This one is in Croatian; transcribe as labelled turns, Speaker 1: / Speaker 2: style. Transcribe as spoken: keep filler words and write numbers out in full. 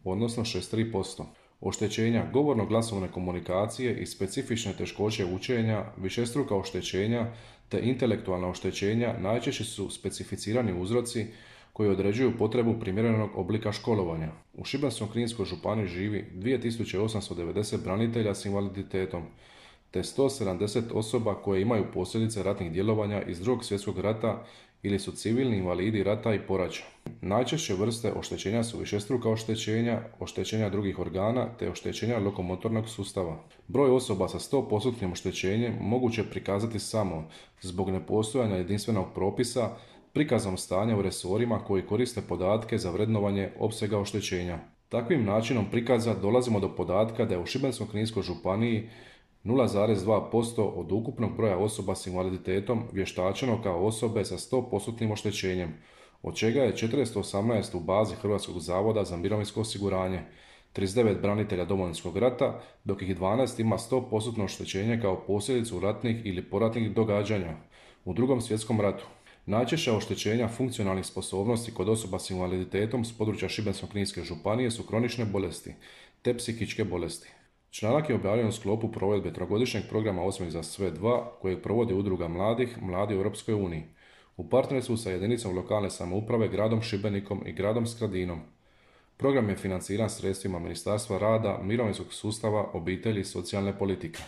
Speaker 1: odnosno šezdeset tri posto. Oštećenja govorno-glasovne komunikacije i specifične teškoće učenja, višestruka oštećenja te intelektualna oštećenja najčešće su specificirani uzroci koji određuju potrebu primjerenog oblika školovanja. U Šibensko-kninskoj županiji živi dvije tisuće osamsto devedeset branitelja s invaliditetom, te sto sedamdeset osoba koje imaju posljedice ratnih djelovanja iz Drugog svjetskog rata ili su civilni invalidi rata i poraća. Najčešće vrste oštećenja su višestruka oštećenja, oštećenja drugih organa te oštećenja lokomotornog sustava. Broj osoba sa sto posto oštećenjem moguće je prikazati samo zbog nepostojanja jedinstvenog propisa, prikazom stanja u resorima koji koriste podatke za vrednovanje opsega oštećenja. Takvim načinom prikaza dolazimo do podatka da je u Šibensko-kninskoj županiji nula zarez dva posto od ukupnog broja osoba s invaliditetom vještačeno kao osobe sa sto posto oštećenjem, od čega je četiristo osamnaest u bazi Hrvatskog zavoda za mirovinsko osiguranje, trideset devet branitelja Domovinskog rata, dok ih dvanaest ima sto posto oštećenje kao posljedicu ratnih ili poratnih događanja u Drugom svjetskom ratu. Najčešća oštećenja funkcionalnih sposobnosti kod osoba s invaliditetom s područja Šibensko-kninske županije su kronične bolesti te psihičke bolesti. Članak je objavljen u sklopu provedbe trogodišnjeg programa Osmijeh za sve dva kojeg provodi Udruga mladih Mladi u Europskoj uniji u partnerstvu sa jedinicom lokalne samouprave gradom Šibenikom i gradom Skradinom. Program je financiran sredstvima Ministarstva rada, mirovinskog sustava, obitelji i socijalne politike.